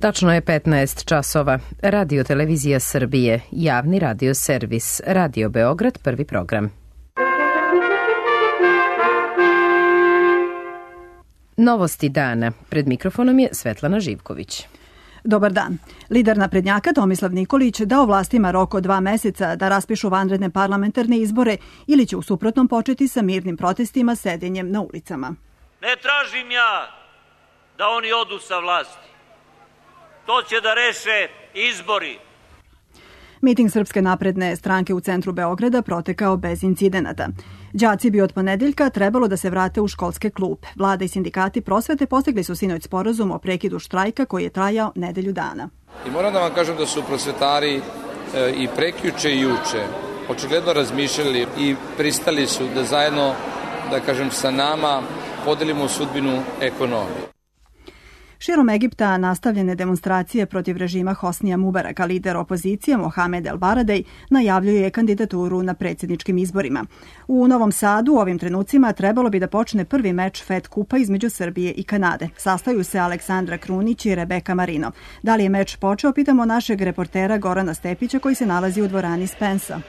Tačno je 15 časova. Radio Televizija Srbije, javni radio servis, Radio Beograd, prvi program. Novosti dana. Pred mikrofonom je Svetlana Živković. Dobar dan. Lider naprednjaka Tomislav Nikolić dao vlastima rok od 2 meseca da raspišu vanredne parlamentarne izbore ili će u suprotnom početi sa mirnim protestima sedenjem na ulicama. Ne tražim ja da oni odu sa vlasti. To će da reše izbori. Miting Srpske napredne stranke u centru Beograda protekao bez incidenata. Đaci bi od ponedeljka trebalo da se vrate u školske klupe. Vlada i sindikati prosvete postigli su sinoć sporazum o prekidu štrajka koji je trajao nedelju dana. I moram da vam kažem da su prosvetari i prekjuče i juče očigledno razmišljali i pristali su da zajedno, da kažem, sa nama podelimo sudbinu ekonomije. Širom Egipta nastavljene demonstracije protiv režima Hosnija Mubaraka, lider opozicije Mohamed El Baradej najavljuje kandidaturu na predsjedničkim izborima. U Novom Sadu u ovim trenucima trebalo bi da počne prvi meč FED kupa između Srbije i Kanade. Sastaju se Aleksandra Krunić i Rebeka Marino. Da li je meč počeo, pitamo našeg reportera Gorana Stepića koji se nalazi u dvorani Spensa.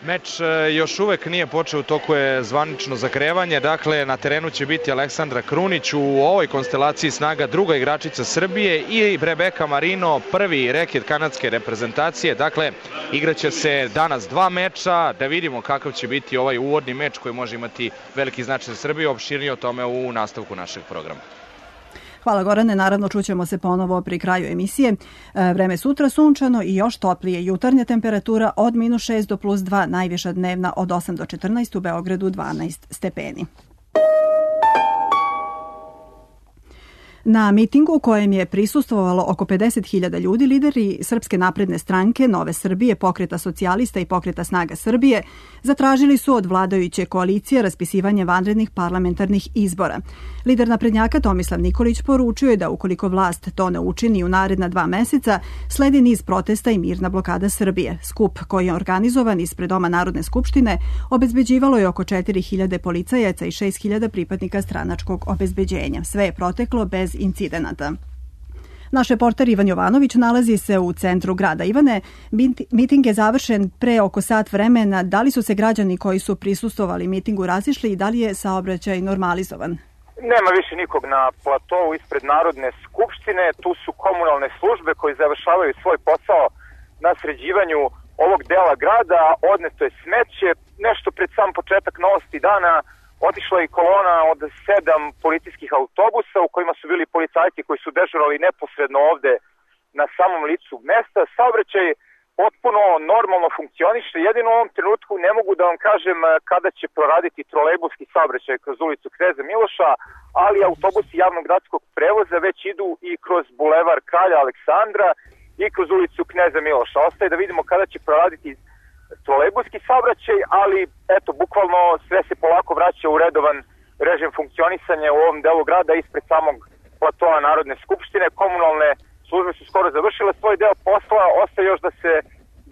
Meč još uvek nije počeo, u toku je zvanično zagrevanje, dakle na terenu će biti Aleksandra Krunić, u ovoj konstelaciji snaga druga igračica Srbije i Rebeka Marino, prvi reket kanadske reprezentacije, dakle igraće se danas 2 meča, da vidimo kakav će biti ovaj uvodni meč koji može imati veliki značaj za Srbiju, opširnije o tome u nastavku našeg programa. Hvala Gorane, naravno čućemo se ponovo pri kraju emisije. Vreme sutra sunčano i još toplije. Jutarnja temperatura od -6 do +2, najviša dnevna od 8 do 14, u Beogradu 12 stepeni. Na mitingu u kojem je prisustvovalo oko 50.000 ljudi, lideri Srpske napredne stranke, Nove Srbije, Pokreta socijalista i Pokreta snaga Srbije zatražili su od vladajuće koalicije raspisivanje vanrednih parlamentarnih izbora. Lider naprednjaka Tomislav Nikolić poručio je da ukoliko vlast to ne učini u naredna 2 meseca, sledi niz protesta i mirna blokada Srbije. Skup koji je organizovan ispred Doma Narodne skupštine obezbeđivalo je oko 4.000 policajaca i 6.000 pripadnika stranačkog obezbeđenja. Sve je proteklo bez incidenata. Naš reporter Ivan Jovanović nalazi se u centru grada. Ivane, miting je završen pre oko sat vremena. Da li su se građani koji su prisustvovali mitingu razišli i da li je saobraćaj normalizovan? Nema više nikog na platovu ispred Narodne skupštine. Tu su komunalne službe koji završavaju svoj posao na sređivanju ovog dela grada. Odneto je smeće. Nešto pred sam početak Novosti dana otišla je kolona od 7 policijskih autobusa u kojima su bili policajci koji su dežurali neposredno ovde na samom licu mesta. Saobraćaj potpuno normalno funkcioniše. Jedino u ovom trenutku ne mogu da vam kažem kada će proraditi trolejbuski saobraćaj kroz ulicu Kneza Miloša, ali autobusi javnog gradskog prevoza već idu i kroz bulevar Kralja Aleksandra i kroz ulicu Kneza Miloša. Ostaje da vidimo kada će proraditi trolejbuski saobraćaj, ali eto, bukvalno sve se polako vraća u redovan režim funkcionisanja u ovom delu grada ispred samog platoa Narodne skupštine. Komunalne službe su skoro završile svoj deo posla, ostaje još da se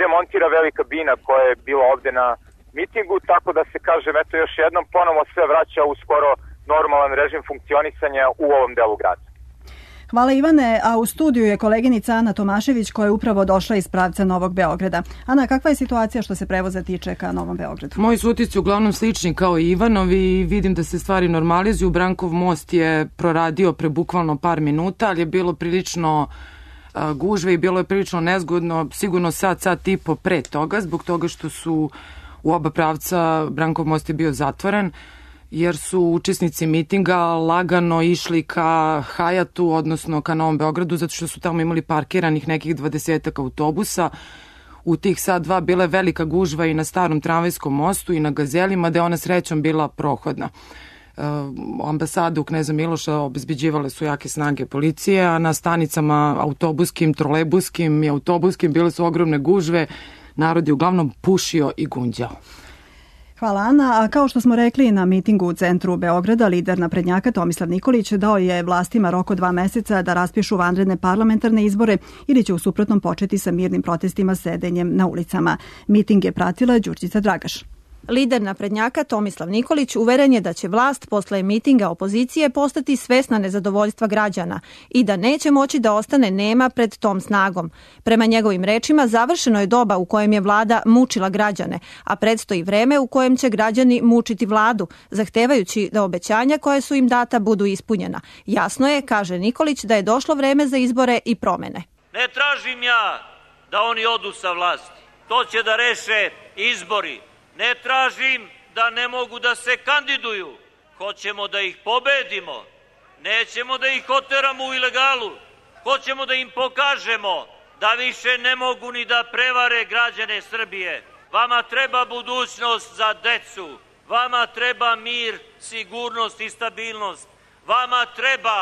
demontira velika bina koja je bila ovde na mitingu, tako da se kažem, eto još jednom, ponovo sve vraća u skoro normalan režim funkcionisanja u ovom delu grada. Hvala Ivane, a u studiju je koleginica Ana Tomašević koja je upravo došla iz pravca Novog Beograda. Ana, kakva je situacija što se prevoza tiče ka Novom Beogradu? Moji su utisci uglavnom slični kao i Ivanovi, vidim da se stvari normalizuju. Brankov most je proradio pre bukvalno par minuta, ali je bilo prilično gužve i bilo je prilično nezgodno, sigurno sat i po pre toga, zbog toga što su u oba pravca Brankov most je bio zatvoren, jer su učesnici mitinga lagano išli ka Hajatu, odnosno ka Novom Beogradu, zato što su tamo imali parkiranih nekih 20 autobusa. U tih sat dva bila je velika gužva i na starom tramvajskom mostu i na Gazelima, da je ona srećom bila prohodna. Ambasadu Kneza Miloša obezbeđivale su jake snage policije, a na stanicama autobuskim, trolejbuskim i autobuskim bile su ogromne gužve. Narod je uglavnom pušio i gunđao. Hvala Ana, a kao što smo rekli na mitingu u centru Beograda, lider naprednjaka Tomislav Nikolić dao je vlastima rok od 2 meseca da raspišu vanredne parlamentarne izbore ili će u suprotnom početi sa mirnim protestima sedenjem na ulicama. Miting je pratila Đurđica Dragaš. Lider naprednjaka Tomislav Nikolić uveren je da će vlast posle mitinga opozicije postati svesna nezadovoljstva građana i da neće moći da ostane nema pred tom snagom. Prema njegovim rečima, završeno je doba u kojem je vlada mučila građane, a predstoji vreme u kojem će građani mučiti vladu, zahtevajući da obećanja koje su im data budu ispunjena. Jasno je, kaže Nikolić, da je došlo vreme za izbore i promene. Ne tražim ja da oni odu sa vlasti. To će da reše izbori. Ne tražim da ne mogu da se kandiduju. Hoćemo da ih pobedimo. Nećemo da ih oteramo u ilegalu. Hoćemo da im pokažemo da više ne mogu ni da prevare građane Srbije. Vama treba budućnost za decu. Vama treba mir, sigurnost i stabilnost. Vama treba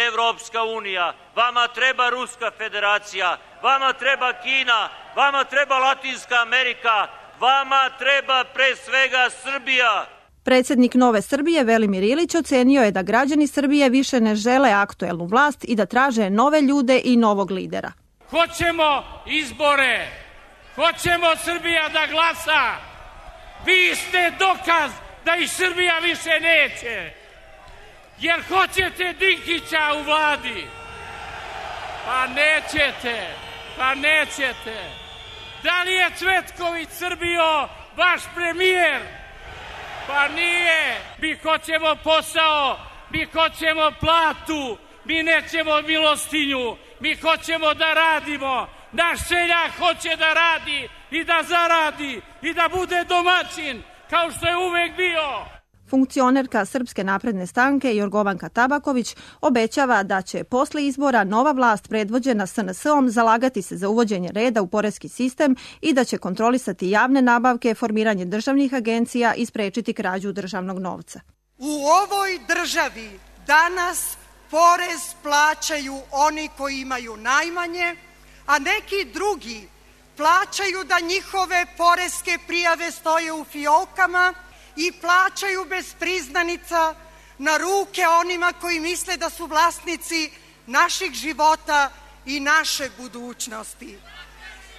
Evropska unija. Vama treba Ruska federacija. Vama treba Kina. Vama treba Latinska Amerika. Vama treba pre svega Srbija. Predsjednik Nove Srbije Velimir Ilić ocenio je da građani Srbije više ne žele aktuelnu vlast i da traže nove ljude i novog lidera. Hoćemo izbore. Hoćemo Srbija da glasa. Vi ste dokaz da i Srbija više neće. Jer hoćete Dinkića u vladi. Pa nećete. Da li je Cvetković Srbijo vaš premijer? Pa nije. Mi hoćemo posao, mi hoćemo platu, mi nećemo milostinju, mi hoćemo da radimo. Naš seljak hoće da radi i da zaradi i da bude domaćin, kao što je uvek bio. Funkcionerka Srpske napredne stranke Jorgovanka Tabaković obećava da će posle izbora nova vlast predvođena SNS-om zalagati se za uvođenje reda u poreski sistem i da će kontrolisati javne nabavke, formiranje državnih agencija i sprečiti krađu državnog novca. U ovoj državi danas porez plaćaju oni koji imaju najmanje, a neki drugi plaćaju da njihove poreske prijave stoje u fiokama i plaćaju bez priznanica na ruke onima koji misle da su vlasnici naših života i naše budućnosti.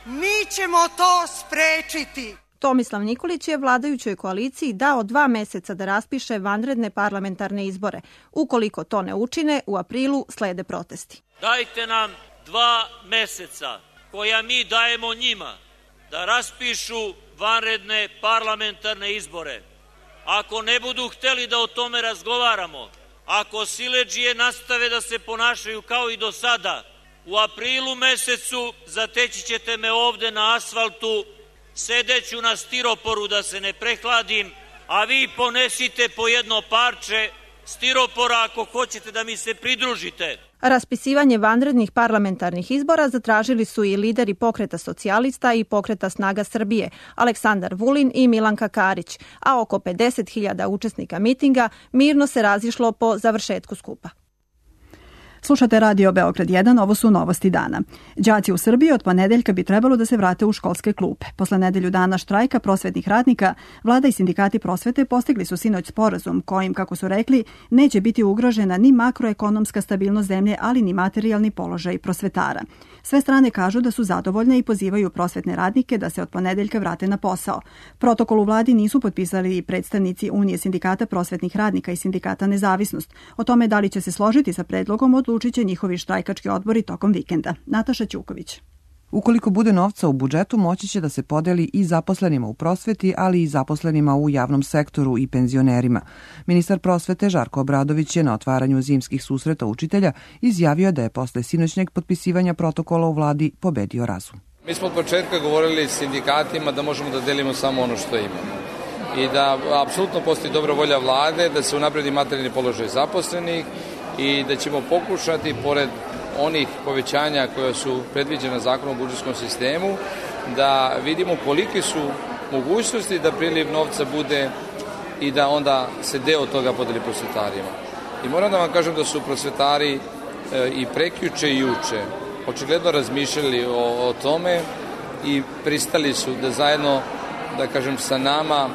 Mi ćemo to sprečiti. Tomislav Nikolić je vladajućoj koaliciji dao 2 meseca da raspiše vanredne parlamentarne izbore. Ukoliko to ne učine, u aprilu slede protesti. Dajte nam 2 meseca koja mi dajemo njima da raspišu vanredne parlamentarne izbore. Ako ne budu hteli da o tome razgovaramo, ako siledžije nastave da se ponašaju kao i do sada, u aprilu mesecu zateći ćete me ovde na asfaltu, sedeću na stiroporu da se ne prehladim, a vi ponesite po jedno parče stiropora ako hoćete da mi se pridružite. Raspisivanje vanrednih parlamentarnih izbora zatražili su i lideri Pokreta socijalista i Pokreta snaga Srbije, Aleksandar Vulin i Milanka Karić, a oko 50.000 učesnika mitinga mirno se razišlo po završetku skupa. Slušate Radio Beograd 1, ovo su novosti dana. Đaci u Srbiji od ponedeljka bi trebalo da se vrate u školske klupe. Posle nedelju dana štrajka prosvetnih radnika, vlada i sindikati prosvete postigli su sinoć sporazum kojim, kako su rekli, neće biti ugrožena ni makroekonomska stabilnost zemlje, ali ni materijalni položaj prosvetara. Sve strane kažu da su zadovoljne i pozivaju prosvetne radnike da se od ponedeljka vrate na posao. Protokol u vladi nisu potpisali predstavnici Unije sindikata prosvetnih radnika i sindikata Nezavisnost. O tome da li će se složiti sa predlogom odlučit će njihovi štrajkački odbori tokom vikenda. Nataša Ćuković. Ukoliko bude novca u budžetu, moći će da se podeli i zaposlenima u prosveti, ali i zaposlenima u javnom sektoru i penzionerima. Ministar prosvete Žarko Obradović je na otvaranju zimskih susreta učitelja izjavio da je posle sinoćnjeg potpisivanja protokola u vladi pobedio razum. Mi smo od početka govorili sindikatima da možemo da delimo samo ono što imamo i da apsolutno postoji dobra volja vlade da se unapredi materijalni položaj zaposlenih i da ćemo pokušati, pored onih povećanja koja su predviđena zakonom o budžetskom sistemu, da vidimo koliki su mogućnosti da priliv novca bude i da onda se deo toga podeli prosvetarima. I moram da vam kažem da su prosvetari i prekjuče i juče očigledno razmišljali o tome i pristali su da zajedno, da kažem, sa nama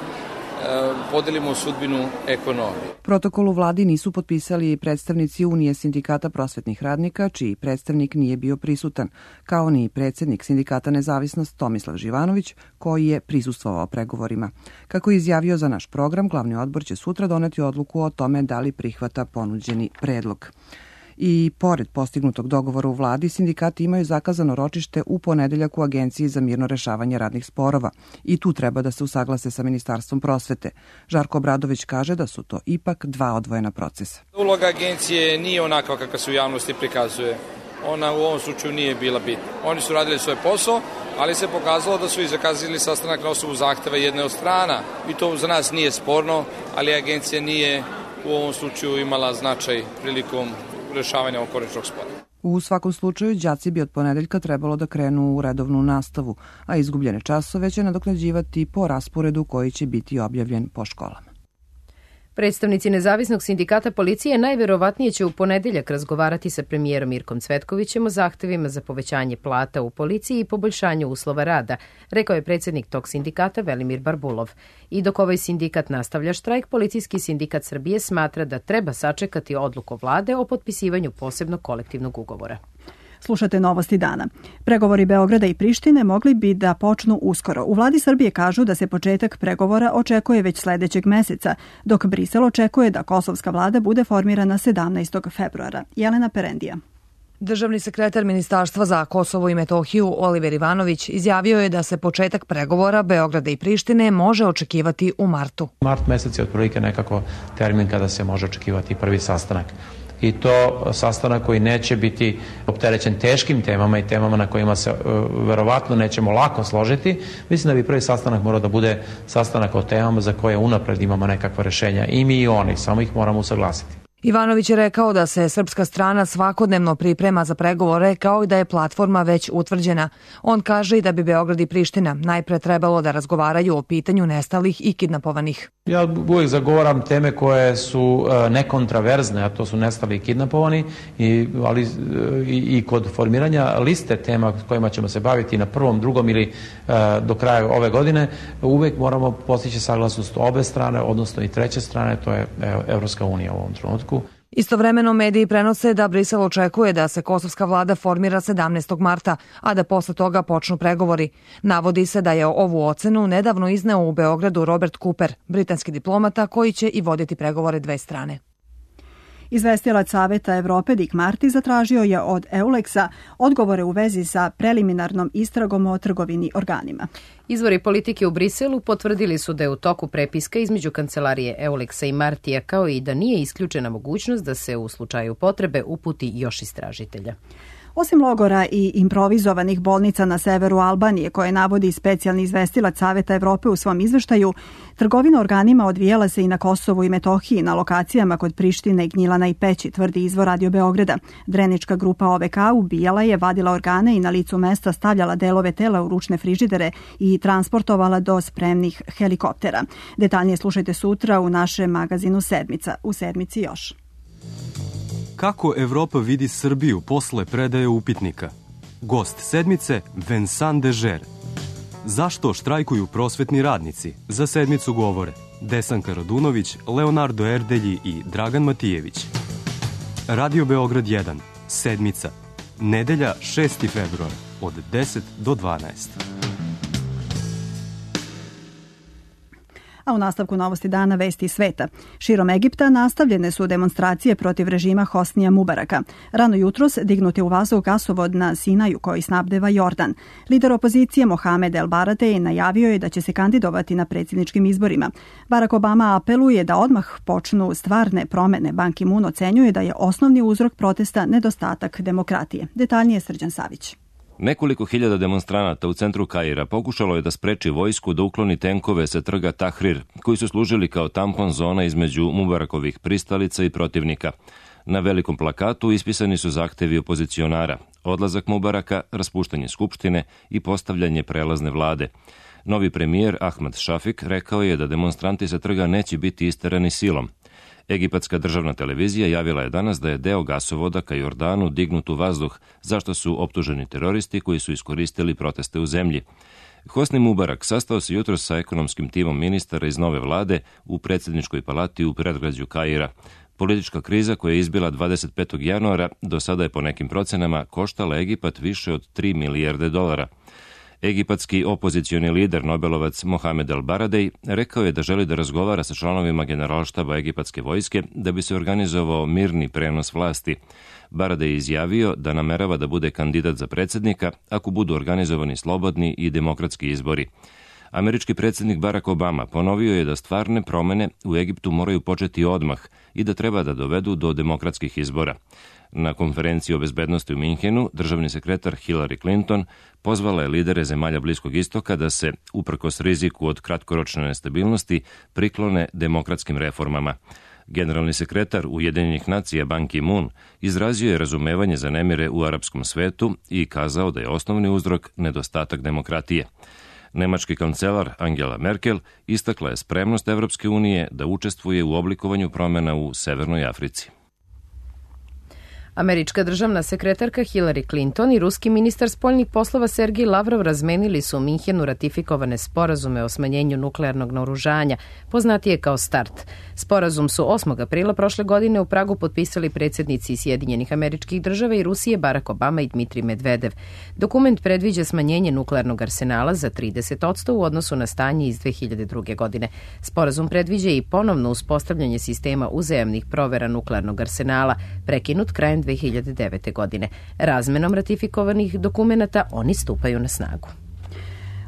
podelimo sudbinu ekonomije. Protokol u vladi nisu potpisali predstavnici Unije sindikata prosvetnih radnika, čiji predstavnik nije bio prisutan, kao ni predsednik sindikata Nezavisnost Tomislav Živanović, koji je prisustvovao pregovorima. Kako je izjavio za naš program, glavni odbor će sutra doneti odluku o tome da li prihvata ponuđeni predlog. I pored postignutog dogovora u vladi, sindikati imaju zakazano ročište u ponedeljak u Agenciji za mirno rešavanje radnih sporova i tu treba da se usaglase sa Ministarstvom prosvete. Žarko Obradović kaže da su to ipak dva odvojena procesa. Uloga agencije nije onakva kakva se u javnosti prikazuje. Ona u ovom slučaju nije bila bitna. Oni su radili svoj posao, ali se pokazalo da su i zakazali sastanak na osnovu zahteva jedne od strana. I to za nas nije sporno, ali agencija nije u ovom slučaju imala značaj prilikom rešavanja ovog konačnog spora. U svakom slučaju, đaci bi od ponedeljka trebalo da krenu u redovnu nastavu, a izgubljene časove će nadoknađivati po rasporedu koji će biti objavljen po školama. Predstavnici Nezavisnog sindikata policije najverovatnije će u ponedeljak razgovarati sa premijerom Mirkom Cvetkovićem o zahtevima za povećanje plata u policiji i poboljšanju uslova rada, rekao je predsednik tog sindikata Velimir Barbulov. I dok ovaj sindikat nastavlja štrajk, Policijski sindikat Srbije smatra da treba sačekati odluku vlade o potpisivanju posebnog kolektivnog ugovora. Slušate Novosti dana. Pregovori Beograda i Prištine mogli bi da počnu uskoro. U vladi Srbije kažu da se početak pregovora očekuje već sledećeg meseca, dok Brisel očekuje da kosovska vlada bude formirana 17. februara. Jelena Perendija. Državni sekretar Ministarstva za Kosovo i Metohiju Oliver Ivanović izjavio je da se početak pregovora Beograda i Prištine može očekivati u martu. Mart mesec je otprilike nekako termin kada se može očekivati prvi sastanak. I to sastanak koji neće biti opterećen teškim temama i temama na kojima se verovatno nećemo lako složiti. Mislim da bi prvi sastanak morao da bude sastanak o temama za koje unapred imamo nekakva rešenja. I mi i oni, samo ih moramo usaglasiti. Ivanović je rekao da se srpska strana svakodnevno priprema za pregovore kao i da je platforma već utvrđena. On kaže i da bi Beograd i Priština najpre trebalo da razgovaraju o pitanju nestalih i kidnapovanih. Ja uvijek zagovaram teme koje su nekontraverzne, a to su nestali i kidnapovani, ali i kod formiranja liste tema kojima ćemo se baviti na prvom, drugom ili do kraja ove godine, uvijek moramo postići saglasnost obe strane, odnosno i treće strane, to je Evropska unija u ovom trenutku. Istovremeno mediji prenose da Brisel očekuje da se kosovska vlada formira 17. marta, a da posle toga počnu pregovori. Navodi se da je ovu ocenu nedavno izneo u Beogradu Robert Cooper, britanski diplomata koji će i voditi pregovore dve strane. Izvestilac Saveta Evrope Dick Marty zatražio je od EULEX-a odgovore u vezi sa preliminarnom istragom o trgovini organima. Izvori politike u Briselu potvrdili su da je u toku prepiska između kancelarije EULEX-a i Martija, kao i da nije isključena mogućnost da se u slučaju potrebe uputi još istražitelja. Osim logora i improvizovanih bolnica na severu Albanije, koje navodi specijalni izvestilac Saveta Evrope u svom izveštaju, trgovina organima odvijala se i na Kosovu i Metohiji, na lokacijama kod Prištine, Gnjilana i Peći, tvrdi izvor Radio Beograda. Drenička grupa OVK ubijala je, vadila organe i na licu mesta stavljala delove tela u ručne frižidere i transportovala do spremnih helikoptera. Detaljnije slušajte sutra u našem magazinu Sedmica. U Sedmici još. Kako Evropa vidi Srbiju posle predaje upitnika? Gost Sedmice Vincent Dežer. Zašto štrajkuju prosvetni radnici? Za Sedmicu govore Desanka Radunović, Leonardo Erdelji i Dragan Matijević. Radio Beograd 1, Sedmica. Nedelja 6. februar od 10 do 12. A u nastavku Novosti dana vesti sveta. Širom Egipta nastavljene su demonstracije protiv režima Hosnija Mubaraka. Rano jutros dignut je u vazduh gasovod na Sinaju koji snabdeva Jordan. Lider opozicije Mohamed El Baratej najavio je da će se kandidovati na predsjedničkim izborima. Barack Obama apeluje da odmah počnu stvarne promene. Ban Ki-moon ocenjuje da je osnovni uzrok protesta nedostatak demokratije. Detaljnije Srđan Savić. Nekoliko hiljada demonstranata u centru Kaira pokušalo je da spreči vojsku da ukloni tenkove sa trga Tahrir, koji su služili kao tampon zona između Mubarakovih pristalica i protivnika. Na velikom plakatu ispisani su zahtevi opozicionara, odlazak Mubaraka, raspuštanje skupštine i postavljanje prelazne vlade. Novi premijer Ahmad Šafik rekao je da demonstranti sa trga neće biti isterani silom. Egipatska državna televizija javila je danas da je deo gasovoda ka Jordanu dignut u vazduh, zašto su optuženi teroristi koji su iskoristili proteste u zemlji. Hosni Mubarak sastao se jutros sa ekonomskim timom ministara iz nove vlade u predsjedničkoj palati u predgrađu Kaira. Politička kriza koja je izbila 25. januara do sada je po nekim procenama koštala Egipat više od 3 milijarde dolara. Egipatski opozicioni lider, Nobelovac Mohamed El Baradej, rekao je da želi da razgovara sa članovima generalštaba egipatske vojske da bi se organizovao mirni prenos vlasti. Baradej je izjavio da namerava da bude kandidat za predsjednika ako budu organizovani slobodni i demokratski izbori. Američki predsjednik Barack Obama ponovio je da stvarne promene u Egiptu moraju početi odmah i da treba da dovedu do demokratskih izbora. Na konferenciji o bezbednosti u Minhenu državni sekretar Hillary Clinton pozvala je lidere zemalja Bliskog istoka da se, uprkos riziku od kratkoročne nestabilnosti, priklone demokratskim reformama. Generalni sekretar Ujedinjenih nacija Ban Ki-moon izrazio je razumevanje za nemire u arapskom svetu i kazao da je osnovni uzrok nedostatak demokratije. Nemački kancelar Angela Merkel istakla je spremnost Evropske unije da učestvuje u oblikovanju promjena u Severnoj Africi. Američka državna sekretarka Hillary Clinton i ruski ministar spoljnih poslova Sergij Lavrov razmenili su u Minhenu ratifikovane sporazume o smanjenju nuklearnog naoružanja, poznatije kao START. Sporazum su 8. aprila prošle godine u Pragu potpisali predsjednici Sjedinjenih Američkih Država i Rusije Barack Obama i Dmitrij Medvedev. Dokument predviđa smanjenje nuklearnog arsenala za 30% u odnosu na stanje iz 2002. godine. Sporazum predviđa i ponovno uspostavljanje sistema uzajamnih provera nuklearnog arsenala, prekinut krajem 2009. godine. Razmenom ratifikovanih dokumenata oni stupaju na snagu.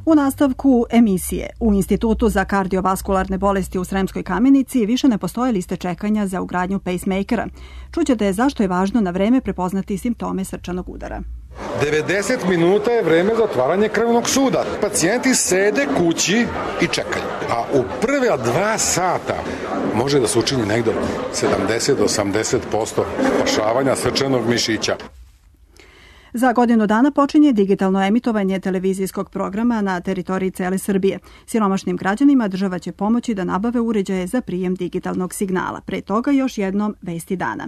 U nastavku emisije, u Institutu za kardiovaskularne bolesti u Sremskoj Kamenici više ne postoje liste čekanja za ugradnju pacemakera. Čućete zašto je važno na vreme prepoznati simptome srčanog udara. 90 minuta je vreme za otvaranje krvnog suda. Pacijenti sede kući i čekaju. A u prve 2 sata može da se učini negdje 70 do 80% spašavanja srčanog mišića. Za godinu dana počinje digitalno emitovanje televizijskog programa na teritoriji cele Srbije. Siromašnim građanima država će pomoći da nabave uređaje za prijem digitalnog signala. Pre toga još jednom vesti dana.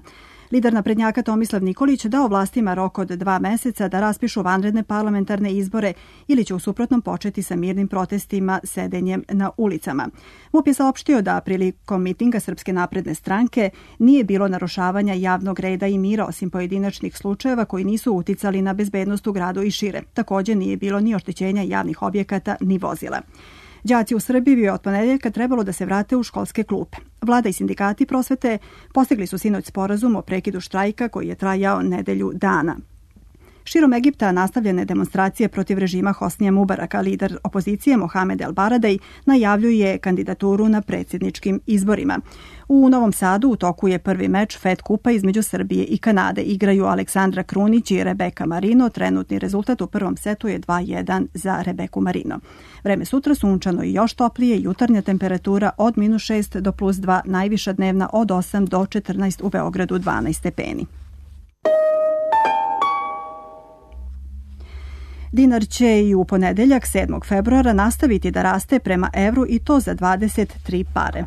Lider naprednjaka Tomislav Nikolić dao vlastima rok od 2 meseca da raspišu vanredne parlamentarne izbore ili će u suprotnom početi sa mirnim protestima sedenjem na ulicama. MUP je saopštio da prilikom mitinga Srpske napredne stranke nije bilo narušavanja javnog reda i mira osim pojedinačnih slučajeva koji nisu uticali na bezbednost u gradu i šire. Također nije bilo ni oštećenja javnih objekata ni vozila. Đaci u Srbiji bi od ponedeljka trebalo da se vrate u školske klupe. Vlada i sindikati prosvete postigli su sinoć sporazum o prekidu štrajka koji je trajao nedelju dana. Širom Egipta nastavljene demonstracije protiv režima Hosnija Mubaraka. Lider opozicije Mohamed El Baradej najavljuje kandidaturu na predsjedničkim izborima. U Novom Sadu u toku je prvi meč FED kupa između Srbije i Kanade. Igraju Aleksandra Krunić i Rebeka Marino. Trenutni rezultat u prvom setu je 2:1 za Rebeku Marino. Vreme sutra sunčano i još toplije, jutarnja temperatura od -6 do +2, najviša dnevna od 8 do 14, u Beogradu 12 stepeni. Dinar će i u ponedeljak 7. februara nastaviti da raste prema evru i to za 23 pare.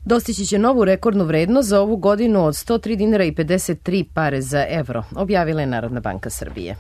Dostići će novu rekordnu vrednost za ovu godinu od 103 dinara i 53 pare za evro, objavila je Narodna banka Srbije.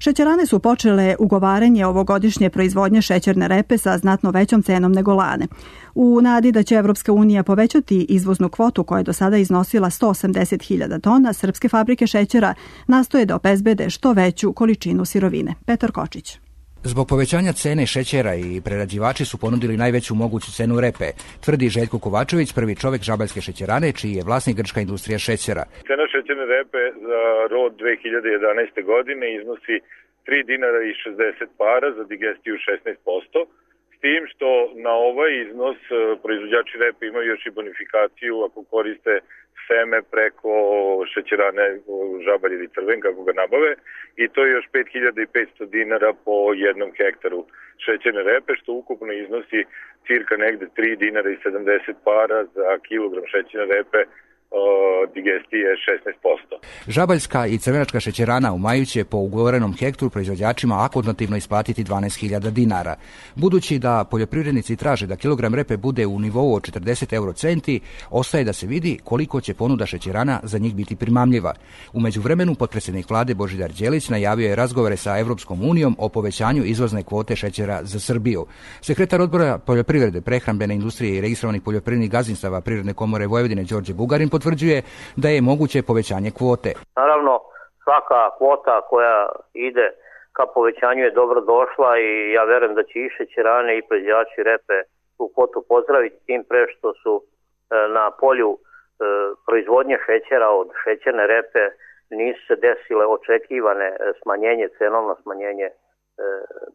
Šećerane su počele ugovaranje ovogodišnje proizvodnje šećerne repe sa znatno većom cenom nego lane. U nadi da će Evropska unija povećati izvoznu kvotu koja je do sada iznosila 180.000 tona, srpske fabrike šećera nastoje da obezbede što veću količinu sirovine. Petar Kočić. Zbog povećanja cene šećera i prerađivači su ponudili najveću moguću cenu repe, tvrdi Željko Kovačević, prvi čovjek Žabaljske šećerane, čiji je vlasnik Grčka industrija šećera. Cena šećerne repe za rod 2011. godine iznosi 3 dinara i 60 para, za digestiju 16%, s tim što na ovaj iznos proizvođači repe imaju još i bonifikaciju ako koriste seme preko šećerane Žabalj ili Crven, kako ga nabave, i to je još 5500 dinara po jednom hektaru šećerne repe, što ukupno iznosi cirka negde 3 dinara i 70 para za kilogram šećerne repe digestije 16%. Žabaljska i crvenačka šećerana u maju će po ugovorenom hektru proizvođačima akontativno isplatiti 12.000 dinara. Budući da poljoprivrednici traže da kilogram repe bude u nivou od 40 eurocenti, ostaje da se vidi koliko će ponuda šećerana za njih biti primamljiva. U međuvremenu potpredsjednik vlade Božidar Đelić najavio je razgovore sa Evropskom unijom o povećanju izvozne kvote šećera za Srbiju. Sekretar odbora poljoprivrede, prehrambene industrije i registrovanih poljoprivrednih gazdinstava Privredne komore Vojvodine Đorđe Bugarin potvrđuje da je moguće povećanje kvote. Naravno, svaka kvota koja ide ka povećanju je dobro došla i ja verujem da će i šećerane i proizvođači repe tu kvotu pozdraviti, tim pre što su na polju proizvodnje šećera od šećerne repe nisu se desile očekivane cenovno smanjenje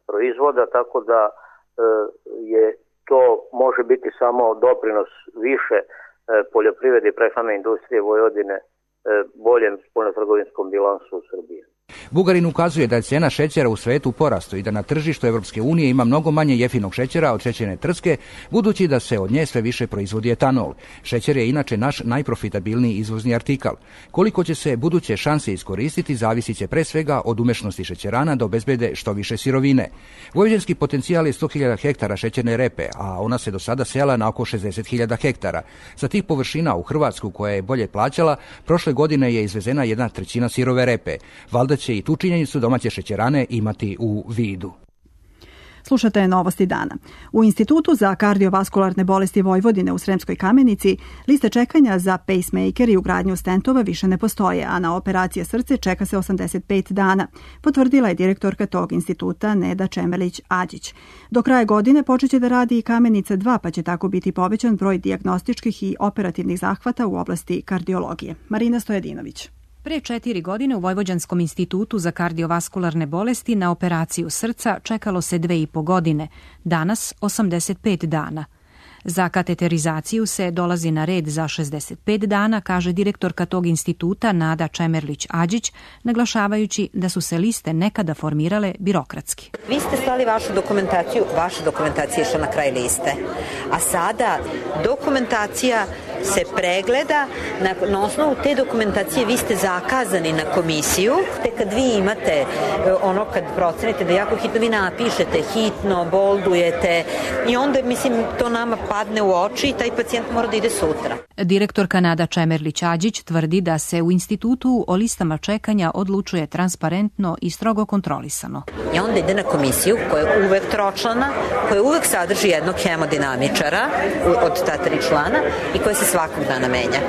proizvoda, tako da je to može biti samo doprinos više poljoprivrede i prehrambene industrije Vojvodine boljem spoljnotrgovinskom bilansu u Srbiji. Bugarin ukazuje da je cijena šećera u svetu u porastu i da na tržištu Evropske unije ima mnogo manje jeftinog šećera od šećerne trske, budući da se od nje sve više proizvodi etanol. Šećer je inače naš najprofitabilniji izvozni artikal. Koliko će se buduće šanse iskoristiti, zavisit će pre svega od umešnosti šećerana da obezbede što više sirovine. Vojvođanski potencijal je 100.000 hektara šećerne repe, a ona se do sada sela na oko 60.000 hektara. Sa tih površina u Hrvatsku, koja je bolje plaćala, prošle godine je izvezena 1/3 sirove repe. Valjda će i tu činjenicu domaće šećerane imati u vidu. Slušate Novosti dana. U Institutu za kardiovaskularne bolesti Vojvodine u Sremskoj Kamenici liste čekanja za pacemaker i ugradnju stentova više ne postoje, a na operacije srce čeka se 85 dana, potvrdila je direktorka tog instituta Neda Čemerlić-Ađić. Do kraja godine počeće da radi i Kamenica 2, pa će tako biti povećan broj dijagnostičkih i operativnih zahvata u oblasti kardiologije. Marina Stojadinović. Pre 4 godine u Vojvođanskom institutu za kardiovaskularne bolesti na operaciju srca čekalo se 2,5 godine, danas 85 dana. Za kateterizaciju se dolazi na red za 65 dana, kaže direktorka tog instituta Nada Čemerlić-Ađić, naglašavajući da su se liste nekada formirale birokratski. Vi ste slali vaša dokumentacija je išla na kraj liste, a sada dokumentacija se pregleda, na osnovu te dokumentacije vi ste zakazani na komisiju, te kad vi imate kad procenite da jako hitno, vi napišete hitno, boldujete i onda, to nama padne u oči i taj pacijent mora da ide sutra. Direktorka Nada Čemerlić-Ađić tvrdi da se u institutu o listama čekanja odlučuje transparentno i strogo kontrolisano. I onda ide na komisiju koja je uvek tročlana, koja uvek sadrži jednog hemodinamičara od ta 3 člana i koja se svakog dana menja.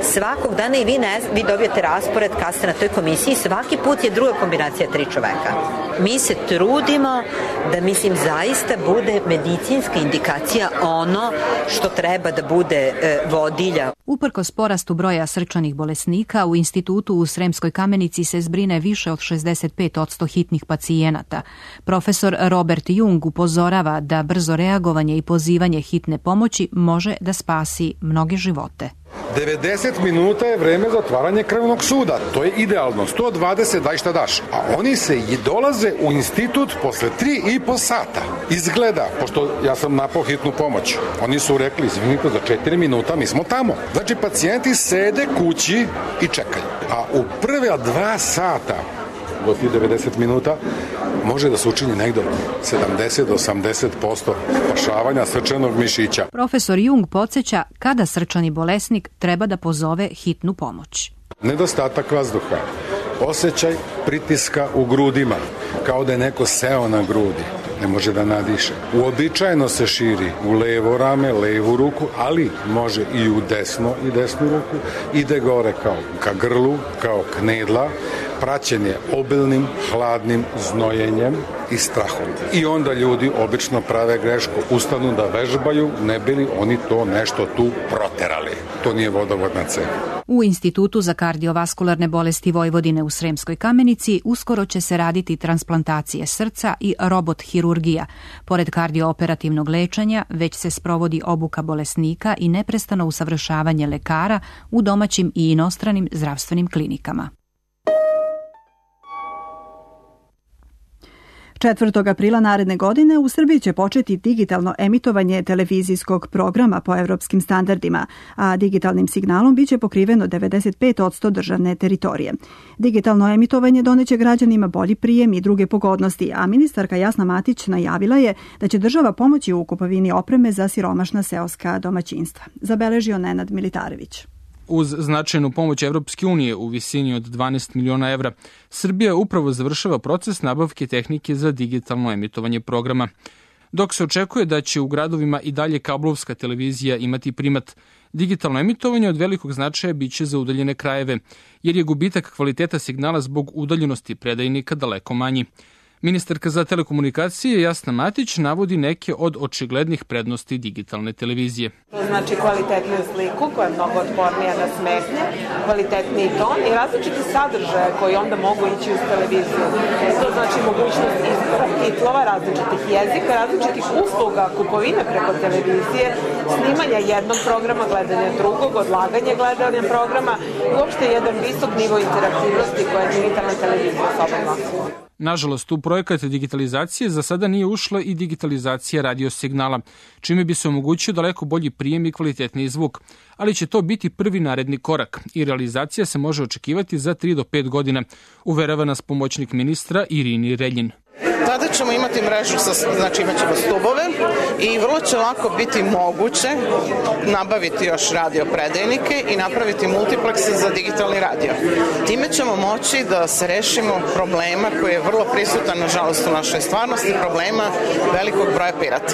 Svakog dana i vi dobijete raspored kad ste na toj komisiji, svaki put je druga kombinacija 3 čoveka. Mi se trudimo da, zaista bude medicinska indikacija ono što treba da bude vodilja. Uprkos porastu broja srčanih bolesnika, u institutu u Sremskoj Kamenici se zbrine više od 65% hitnih pacijenata. Profesor Robert Jung upozorava da brzo reagovanje i pozivanje hitne pomoći može da spasi mnoge živote. 90 minuta je vreme za otvaranje krvnog suda. To je idealno. 120 daj šta daš. A oni se i dolaze u institut posle 3,5 sata. Izgleda, pošto ja sam napao hitnu pomoć. Oni su rekli, izvinite, za 4 minuta mi smo tamo. Znači, pacijenti sede kući i čekaju. A u prve 2 sata do tih 90 minuta može da se učini negdje 70 do 80% spašavanja srčanog mišića. Profesor Jung podsjeća kada srčani bolesnik treba da pozove hitnu pomoć. Nedostatak vazduha, osjećaj pritiska u grudima, kao da je neko seo na grudi, ne može da nadiše. Uobičajeno se širi u levo rame, levu ruku, ali može i u desnu ruku, ide gore kao ka grlu, kao knedla, praćen je obilnim, hladnim znojenjem i strahom. I onda ljudi obično prave grešku, ustanu da vežbaju, ne bili oni to nešto tu proterali. To nije vodovodna cev. U Institutu za kardiovaskularne bolesti Vojvodine u Sremskoj Kamenici uskoro će se raditi transplantacije srca i robot hirurgija. Pored kardiooperativnog lečenja, već se sprovodi obuka bolesnika i neprestano usavršavanje lekara u domaćim i inostranim zdravstvenim klinikama. 4. aprila naredne godine u Srbiji će početi digitalno emitovanje televizijskog programa po evropskim standardima, a digitalnim signalom biće pokriveno 95% državne teritorije. Digitalno emitovanje doneće građanima bolji prijem i druge pogodnosti, a ministarka Jasna Matić najavila je da će država pomoći u kupovini opreme za siromašna seoska domaćinstva. Zabeležio Nenad Militarević. Uz značajnu pomoć Evropske unije u visini od 12 miliona evra, Srbija upravo završava proces nabavke tehnike za digitalno emitovanje programa. Dok se očekuje da će u gradovima i dalje kablovska televizija imati primat, digitalno emitovanje od velikog značaja biće za udaljene krajeve, jer je gubitak kvaliteta signala zbog udaljenosti predajnika daleko manji. Ministarka za telekomunikacije Jasna Matić navodi neke od očiglednih prednosti digitalne televizije. To znači kvalitetnu sliku koja je mnogo otpornija na smetnje, kvalitetniji ton i različiti sadržaje koji onda mogu ići uz televiziju. To znači mogućnost izbora titlova, različitih jezika, različitih usluga, kupovine preko televizije, snimanja jednog programa, gledanja drugog, odlaganje gledanja programa i uopšte jedan visok nivo interaktivnosti koja digitalna televizija sobom nosi. Nažalost, u projekat digitalizacije za sada nije ušla i digitalizacija radio signala, čime bi se omogućio daleko bolji prijem i kvalitetniji zvuk, ali će to biti prvi naredni korak i realizacija se može očekivati za 3 do 5 godina, uverava nas pomoćnik ministra Irini Reljin. Tada ćemo imati mrežu, znači imat ćemo stubove i vrlo će lako biti moguće nabaviti još radio predajnike i napraviti multiplekse za digitalni radio. Time ćemo moći da se rešimo problema koji je vrlo prisutan, nažalost, u našoj stvarnosti, problema velikog broja pirata.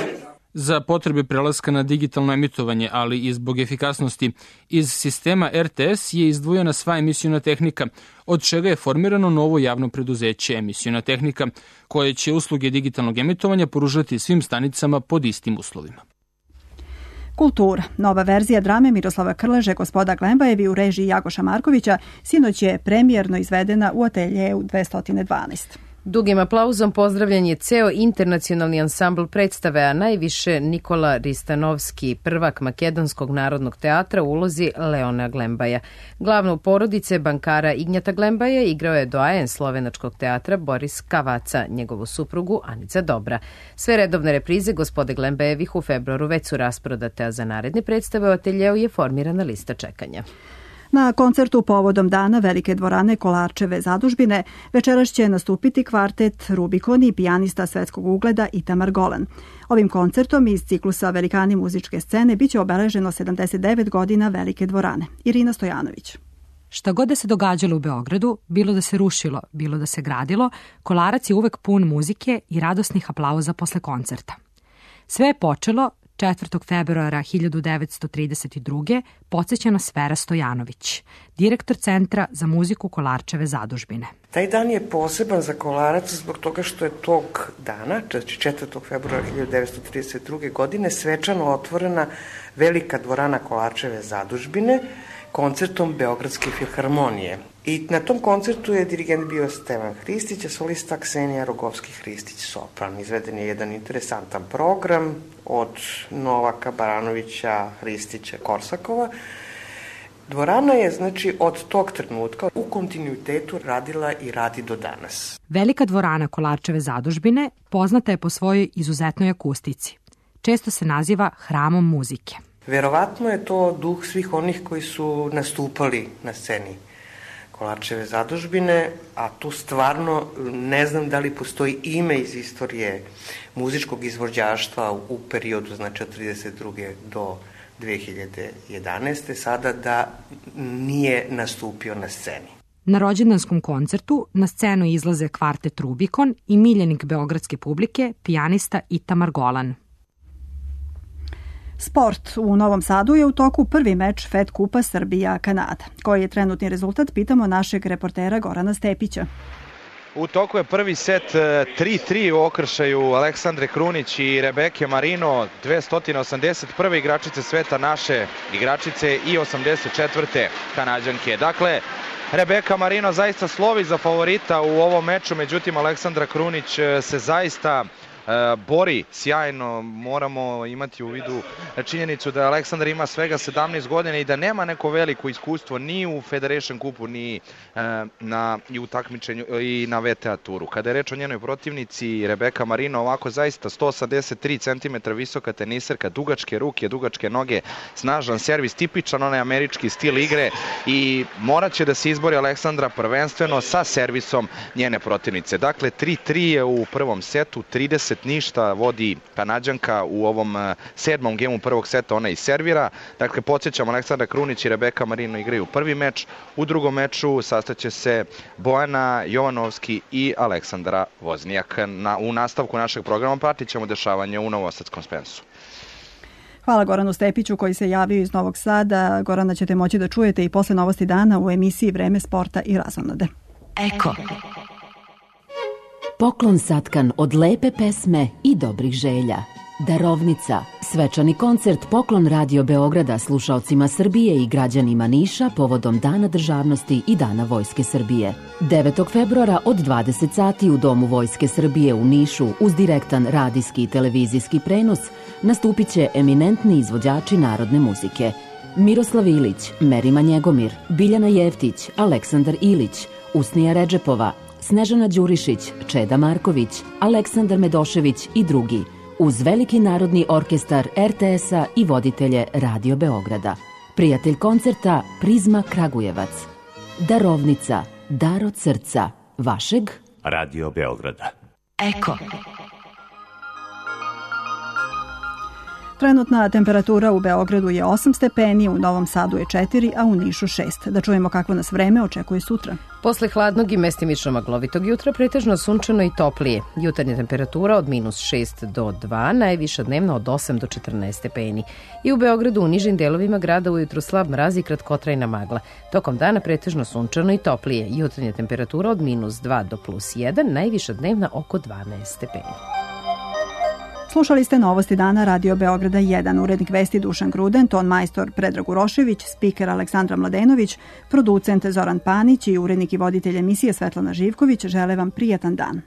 Za potrebe prelaska na digitalno emitovanje, ali i zbog efikasnosti, iz sistema RTS je izdvojena sva emisiona tehnika, od čega je formirano novo javno preduzeće Emisiona tehnika, koje će usluge digitalnog emitovanja pružati svim stanicama pod istim uslovima. Kultura. Nova verzija drame Miroslava Krleže Gospoda Glembajevi u režiji Jagoša Markovića sinoć je premijerno izvedena u ateljeu 212. Dugim aplauzom pozdravljen je ceo internacionalni ansambl predstave, a najviše Nikola Ristanovski, prvak Makedonskog narodnog teatra u ulozi Leona Glembaja. Glavnu porodice bankara Ignjata Glembaja igrao je doajen slovenačkog teatra Boris Kavaca, njegovu suprugu Anica Dobra. Sve redovne reprize Gospode Glembajevih u februaru već su rasprodate, a za naredne predstave u ateljeu je formirana lista čekanja. Na koncertu povodom dana Velike dvorane Kolarčeve zadužbine večeras će nastupiti kvartet Rubikon i pijanista svetskog ugleda Itamar Golan. Ovim koncertom iz ciklusa Velikani muzičke scene biće obeleženo 79 godina Velike dvorane. Irina Stojanović. Šta god da se događalo u Beogradu, bilo da se rušilo, bilo da se gradilo, Kolarac je uvek pun muzike i radosnih aplauza posle koncerta. Sve je počelo 4. februara 1932. podsjeća nas Vera Stojanović, direktor Centra za muziku Kolarčeve zadužbine. Taj dan je poseban za Kolarac zbog toga što je tog dana, 4. februara 1932. godine, svečano otvorena Velika dvorana Kolarčeve zadužbine koncertom Beogradske filharmonije. I na tom koncertu je dirigent bio Stevan Hristić, a solista Ksenija Rogovski-Hristić sopran. Izveden je jedan interesantan program od Novaka, Baranovića, Hristića, Korsakova. Dvorana je, znači, od tog trenutka u kontinuitetu radila i radi do danas. Velika dvorana Kolarčeve zadužbine poznata je po svojoj izuzetnoj akustici. Često se naziva hramom muzike. Verovatno je to duh svih onih koji su nastupali na sceni Kolarčeve zadužbine, a tu stvarno ne znam da li postoji ime iz istorije muzičkog izvođaštva u periodu, znači od 32. do 2011. sada da nije nastupio na sceni. Na rođendanskom koncertu na scenu izlaze kvartet Rubikon i miljenik beogradske publike, pijanista Itamar Golan. Sport. U Novom Sadu je u toku prvi meč Fed Kupa Srbija-Kanada. Koji je trenutni rezultat, pitamo našeg reportera Gorana Stepića. U toku je prvi set 3-3 u okršaju Aleksandre Krunić i Rebeke Marino, 281. igračice sveta, naše igračice i 84. Kanađanke. Dakle, Rebeka Marino zaista slovi za favorita u ovom meču, međutim Aleksandra Krunić se zaista bori sjajno. Moramo imati u vidu činjenicu da Aleksandar ima svega 17 godina i da nema neko veliko iskustvo ni u Federation Cupu, ni i u takmičenju i na VTA turu. Kada je reč o njenoj protivnici, Rebeka Marino, ovako zaista 183 cm visoka teniserka, dugačke ruke, dugačke noge, snažan servis, tipičan onaj američki stil igre i morat će da se izbori Aleksandra prvenstveno sa servisom njene protivnice. Dakle, 3-3 je u prvom setu, 30 ništa vodi Kanađanka u ovom 7. gemu prvog seta, ona i servira. Dakle, podsjećam, Aleksandra Krunić i Rebeka Marino igraju prvi meč, u drugom meču sastaće se Bojana Jovanovski i Aleksandra Voznijak. U nastavku našeg programa pratit ćemo dešavanje u Novosadskom Spensu. Hvala Goranu Stepiću koji se javio iz Novog Sada. Gorana ćete moći da čujete i posle Novosti dana u emisiji Vreme sporta i razonode. Eko. Poklon satkan od lepe pesme i dobrih želja. Darovnica. Svečani koncert Poklon Radio Beograda slušaocima Srbije i građanima Niša povodom Dana državnosti i Dana Vojske Srbije. 9. februara od 20 sati u Domu Vojske Srbije u Nišu uz direktan radijski i televizijski prenos nastupit će eminentni izvođači narodne muzike. Miroslav Ilić, Merima Njegomir, Biljana Jeftić, Aleksandar Ilić, Usnija Redžepova, Snežana Đurišić, Čeda Marković, Aleksandar Medošević i drugi, uz veliki narodni orkestar RTS-a i voditelje Radio Beograda. Prijatelj koncerta Prizma Kragujevac. Darovnica, dar od srca, vašeg Radio Beograda. Eko. Trenutna temperatura u Beogradu je 8 stepeni, u Novom Sadu je 4, a u Nišu 6. Da čujemo kakvo nas vreme očekuje sutra. Posle hladnog i mestimično maglovitog jutra pretežno sunčano i toplije. Jutarnja temperatura od -6 do 2, najviša dnevna od 8 do 14 stepeni. I u Beogradu u nižim delovima grada ujutru slab mraz i kratkotrajna magla. Tokom dana pretežno sunčano i toplije. Jutarnja temperatura od -2 do +1, najviša dnevna oko 12 stepeni. Slušali ste Novosti dana Radio Beograda 1, urednik vesti Dušan Gruden, ton majstor Predrag Urošević, spiker Aleksandra Mladenović, producent Zoran Panić i urednik i voditelj emisije Svetlana Živković žele vam prijatan dan.